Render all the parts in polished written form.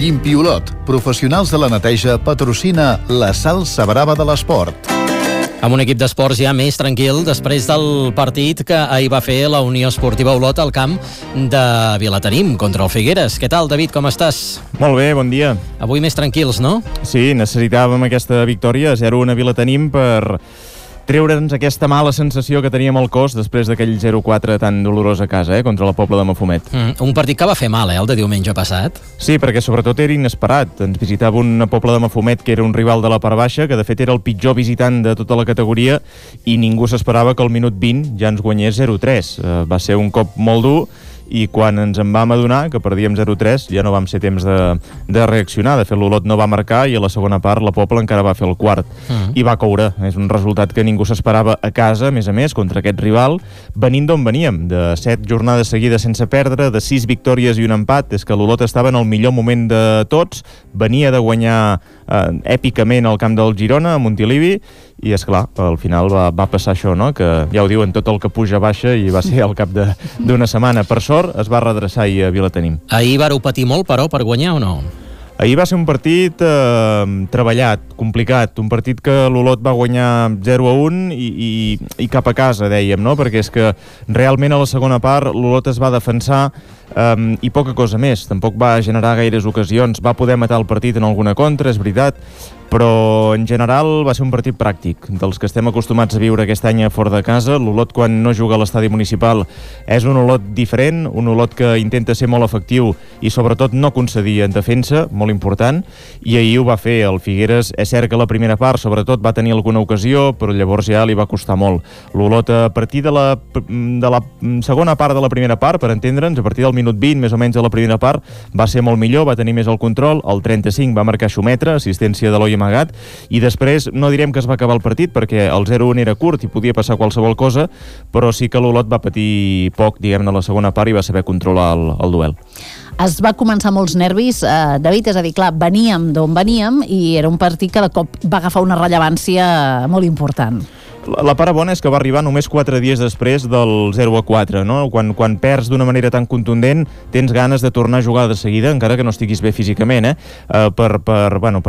Llimpiolot, professionals de la neteja, patrocina la salsa brava de l'esport. Amb un equip d'esports ja més tranquil després del partit que ahir va fer la Unió Esportiva Olot al camp de Vilatenim contra el Figueres. Què tal, David, com estàs? Molt bé, bon dia. Avui més tranquils, no? Sí, necessitàvem aquesta victòria 0-1 a Vilatenim per treure'ns aquesta mala sensació que teníem al cos després d'aquell 0-4 tan dolorós a casa, contra la Pobla de Mafumet. Un partit que va fer mal, el de diumenge passat. Sí, perquè sobretot era inesperat. Ens visitava una Pobla de Mafumet que era un rival de la part baixa, que de fet era el pitjor visitant de tota la categoria, i ningú s'esperava que al minut 20 ja ens guanyés 0-3. Va ser un cop molt dur, i quan ens en vam adonar que perdíem 0-3 ja no vam ser temps de reaccionar. De fet, l'Olot no va marcar i a la segona part la Pobla encara va fer el quart i va caure. És un resultat que ningú s'esperava a casa, a més, contra aquest rival, venint d'on veníem, de 7 jornades seguides sense perdre, de 6 victòries i un empat. És que l'Olot estava en el millor moment de tots, venia de guanyar èpicament al camp del Girona, a Montilivi, i és clar, al final va passar això, no? Que ja ho diuen, tot el que puja baixa, i va ser al cap d'una setmana. Per sort es va redreçar ahir a Vilatenim. Ahir vareu patir molt, però, per guanyar o no? Ahir va ser un partit treballat, complicat, un partit que l'Olot va guanyar 0-1 i cap a casa, dèiem, no? Perquè és que realment a la segona part l'Olot es va defensar i poca cosa més. Tampoc va generar gaires ocasions, va poder matar el partit en alguna contra, és veritat, però en general va ser un partit pràctic, dels que estem acostumats a viure aquest any a fora de casa. L'Olot, quan no juga a l'estadi municipal, és un Olot diferent, un Olot que intenta ser molt efectiu i sobretot no concedir en defensa, molt important, i ahir ho va fer. El Figueres, és cert que la primera part sobretot va tenir alguna ocasió, però llavors ja li va costar molt. L'Olot, a partir de la segona part de la primera part, per entendre'ns, a partir del minut 20, més o menys, de la primera part, va ser molt millor, va tenir més el control. El 35 va marcar Xumetra, assistència de l'Oi Amagat, i després no direm que es va acabar el partit perquè el 0-1 era curt i podia passar qualsevol cosa, però sí que l'Olot va patir poc, diguem-ne, a la segona part, i va saber controlar el duel. Es va començar molts nervis, David, és a dir, clar, veníem d'on veníem i era un partit que de cop va agafar una rellevància molt important. La part bona és que va arribar només 4 dies després del 0-4, no? Quan perds d'una manera tan contundent, tens ganes de tornar a jugar de seguida, encara que no estiguis bé físicament, per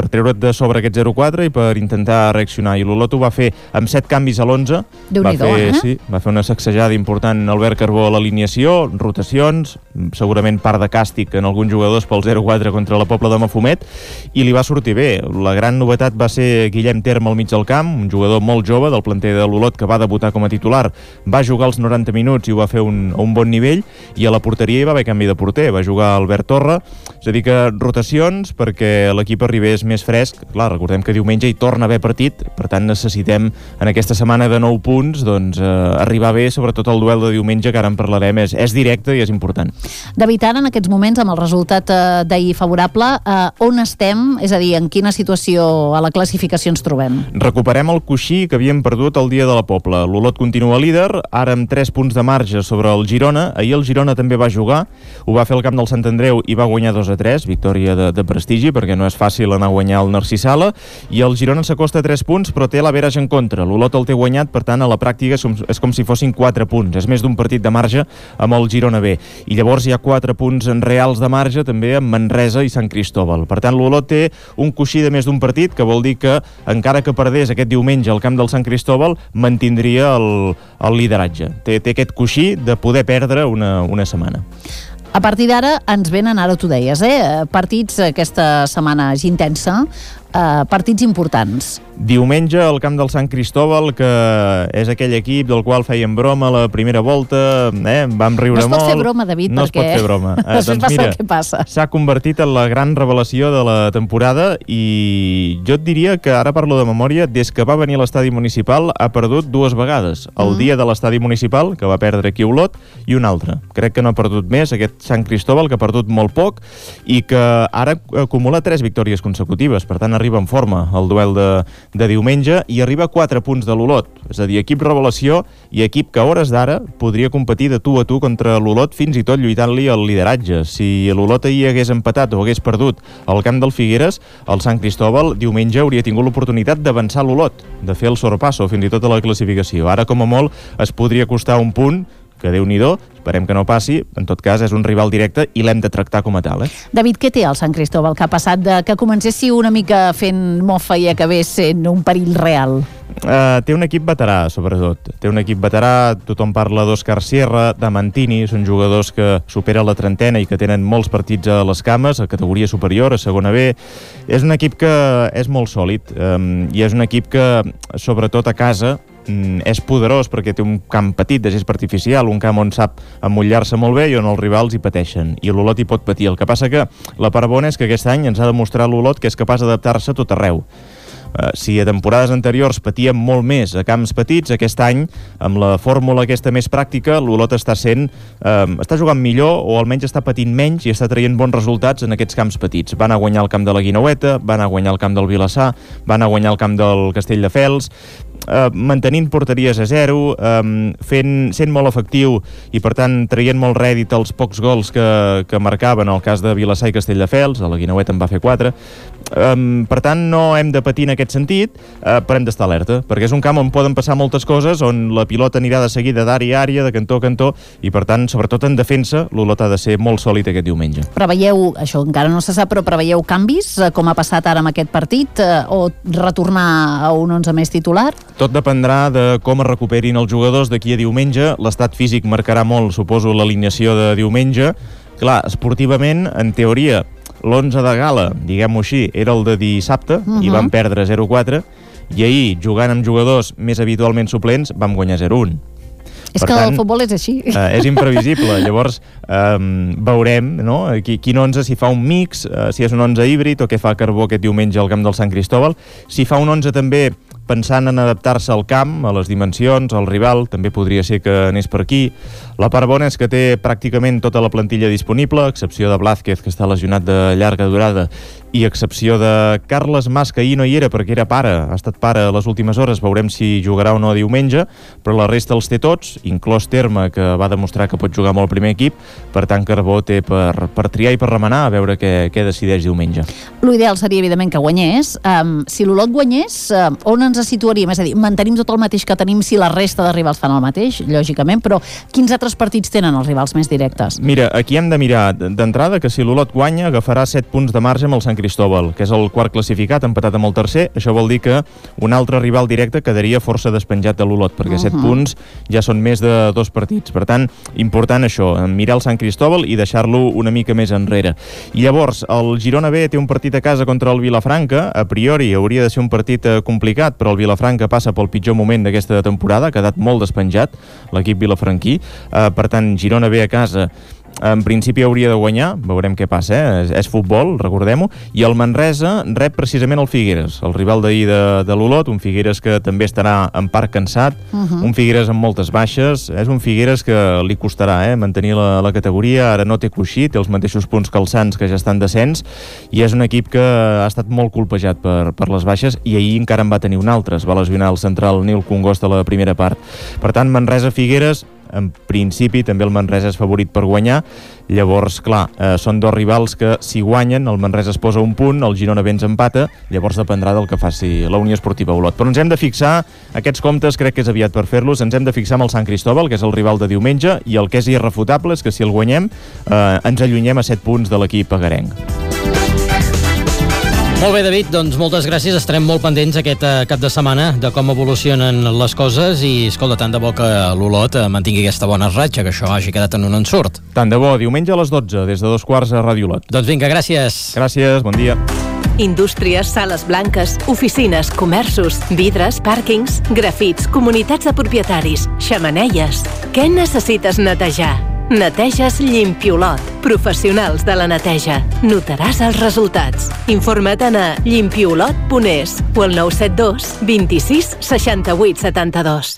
treure't de sobre aquest 0-4 i per intentar reaccionar. I l'Olot ho va fer amb 7 canvis a l'11. Va fer una sacsejada important Albert Carbó a l'alineació, rotacions, segurament part de càstig en alguns jugadors pel 0-4 contra la Pobla de Mafumet, i li va sortir bé. La gran novetat va ser Guillem Terme al mig del camp, un jugador molt jove del planter de l'Olot que va debutar com a titular, va jugar els 90 minuts i ho va fer a un bon nivell, i a la porteria hi va haver canvi de porter, va jugar Albert Torra. És a dir, que rotacions perquè l'equip arribés més fresc. Clar, recordem que diumenge hi torna a haver partit, per tant necessitem en aquesta setmana de 9 punts arribar bé, sobretot el duel de diumenge, que ara en parlarem, és directe i és important. David, ara en aquests moments, amb el resultat d'ahir favorable, on estem? És a dir, en quina situació a la classificació ens trobem? Recuperem el coixí que havíem perdut el dia de la Pobla. L'Olot continua líder, ara amb 3 punts de marge sobre el Girona. Ahir el Girona també va jugar, ho va fer al camp del Sant Andreu i va guanyar 2-3, victòria de prestigi, perquè no és fàcil anar a guanyar el Narcís Sala, i el Girona s'acosta a 3 punts, però té l'average en contra. L'Olot el té guanyat, per tant, a la pràctica és com si fossin 4 punts. És més d'un partit de marge amb el Girona B. I llavors hi ha 4 punts reals de marge també amb Manresa i Sant Cristóbal. Per tant, l'Olot té un coixí de més d'un partit, que vol dir que, encara que perdés aquest diumenge al camp del Sant Cristóbal, mantindria el lideratge. Té aquest coixí de poder perdre una setmana. A partir d'ara ens venen, ara tu deies, partits aquesta setmana intensa, partits importants. Diumenge al camp del Sant Cristóbal, que és aquell equip del qual fèiem broma a la primera volta, vam riure molt. No es pot fer broma, David, no perquè... No es pot fer broma. Després passa el que passa. S'ha convertit en la gran revelació de la temporada, i jo et diria que, ara parlo de memòria, des que va venir a l'estadi municipal ha perdut 2 vegades. El dia de l'estadi municipal, que va perdre aquí a Olot, i un altre. Crec que no ha perdut més, aquest Sant Cristóbal, que ha perdut molt poc, i que ara acumula 3 victòries consecutives. Per tant, arriba en forma el duel de diumenge, i arriba a 4 punts de l'Olot. És a dir, equip revelació i equip que a hores d'ara podria competir de tu a tu contra l'Olot, fins i tot lluitant-li el lideratge. Si l'Olot ahir hagués empatat o hagués perdut al camp del Figueres, el Sant Cristóbal diumenge hauria tingut l'oportunitat d'avançar l'Olot, de fer el sorpasso fins i tot a la classificació. Ara, com a molt, es podria costar un punt, que Déu-n'hi-do, esperem que no passi, en tot cas és un rival directe i l'hem de tractar com a tal. David, què té el Sant Cristóbal que ha passat de que comencessi una mica fent mofa i acabés sent un perill real? Té un equip veterà, sobretot. Té un equip veterà, tothom parla d'Òscar Sierra, de Mantini, són jugadors que superen la trentena i que tenen molts partits a les cames, a categoria superior, a segona B. És un equip que és molt sòlid i és un equip que, sobretot a casa, és poderós perquè té un camp petit de gespa artificial, un camp on sap emmotlar-se molt bé i on els rivals hi pateixen, i l'Olot hi pot patir. El que passa que la part bona és que aquest any ens ha demostrat l'Olot que és capaç d'adaptar-se a tot arreu. Si a temporades anteriors patíem molt més a camps petits, aquest any, amb la fórmula aquesta més pràctica, l'Olot està jugant millor, o almenys està patint menys i està traient bons resultats en aquests camps petits. Van a guanyar el camp de la Guineueta, van a guanyar el camp del Vilassar, van a guanyar el camp del Castelldefels, mantenint porteries a 0, sent molt efectiu i per tant traient molt rèdit els pocs gols que marcaven el cas de Vilassar i Castelldefels, a la Guineueta en va fer 4. Per tant, no hem de patir en aquest sentit, però hem d'estar alerta, perquè és un camp on poden passar moltes coses, on la pilota anirà de seguida d'àrea a àrea, de cantó a cantó, i per tant, sobretot en defensa, l'Olot ha de ser molt sòlid aquest diumenge. Preveieu, això encara no se sap, però preveieu canvis, com ha passat ara amb aquest partit, o retornar a un 11 més titular? Tot dependrà de com es recuperin els jugadors d'aquí a diumenge. L'estat físic marcarà molt, suposo, l'alineació de diumenge. Clar, esportivament, en teoria, l'11 de gala, diguem-ho així, era el de dissabte, i vam perdre 0-4, i ahir, jugant amb jugadors més habitualment suplents, vam guanyar 0-1. És que el futbol és així. És imprevisible. Llavors, veurem, no? Quin 11, si fa un mix, si és un 11 híbrid, o què fa Carbó aquest diumenge al camp del Sant Cristóbal. Si fa un 11 també pensant en adaptar-se al camp, a les dimensions, al rival, també podria ser que anés per aquí. La part bona és que té pràcticament tota la plantilla disponible, a excepció de Blázquez, que està lesionat de llarga durada, i a excepció de Carles Mas, que ahir no hi era perquè era pare, ha estat pare a les últimes hores, veurem si jugarà o no diumenge, però la resta els té tots, inclòs Terme, que va demostrar que pot jugar amb el primer equip, per tant Carbó té per triar i per remenar a veure què decideix diumenge. L'ideal seria, evidentment, que guanyés. Si l'Olot guanyés, on ens situaríem? És a dir, mantenim tot el mateix que tenim si la resta de rivals fan el mateix, lògicament, però quins altres partits tenen els rivals més directes? Mira, aquí hem de mirar d'entrada que si l'Olot guanya agafarà 7 punts de marge amb el Sant Cristóbal, que és el quart classificat, empatat amb el tercer. Això vol dir que un altre rival directe quedaria força despenjat de l'Olot, perquè 7 punts ja són més de 2 partits. Per tant, important això, mirar el Sant Cristóbal i deixar-lo una mica més enrere. I llavors, el Girona B té un partit a casa contra el Vilafranca. A priori hauria de ser un partit complicat, però el Vilafranca passa pel pitjor moment d'aquesta temporada, ha quedat molt despenjat l'equip vilafranquí. Per tant, Girona B a casa en principi hauria de guanyar, veurem què passa, és futbol, recordem-ho, i el Manresa rep precisament el Figueres, el rival d'ahir de l'Olot, un Figueres que també estarà en part cansat, un Figueres amb moltes baixes, és un Figueres que li costarà mantenir la categoria, ara no té coixí, té els mateixos punts que els Sants, que ja estan descens, i és un equip que ha estat molt colpejat per les baixes, i ahir encara en va tenir un altre, es va lesionar el central Nil Congost a la primera part. Per tant, Manresa-Figueres, en principi també el Manresa és favorit per guanyar. Llavors, clar, són dos rivals que si guanyen, el Manresa es posa un punt, el Girona bé ens empata, llavors dependrà del que faci la Unió Esportiva Olot. Però ens hem de fixar, aquests comptes crec que és aviat per fer-los, ens hem de fixar amb el Sant Cristóbal, que és el rival de diumenge, i el que és irrefutable és que si el guanyem ens allunyem a 7 punts de l'equip agarenc. Molt bé, David, doncs moltes gràcies. Estarem molt pendents aquest cap de setmana de com evolucionen les coses i, escolta, tant de bo que l'Olot mantingui aquesta bona ratxa, que això hagi quedat en un ensurt. Tant de bo, diumenge a les 12, des de 2:15 a Ràdio Olot. Doncs vinga, gràcies. Gràcies, bon dia. Indústries, sales blanques, oficines, comerços, vidres, pàrquings, grafits, comunitats de propietaris, xemeneies. Què necessites netejar? Neteges Llimpiolot. Professionals de la neteja. Notaràs els resultats. Informa't a llimpiolot.es o al 972 26 68 72.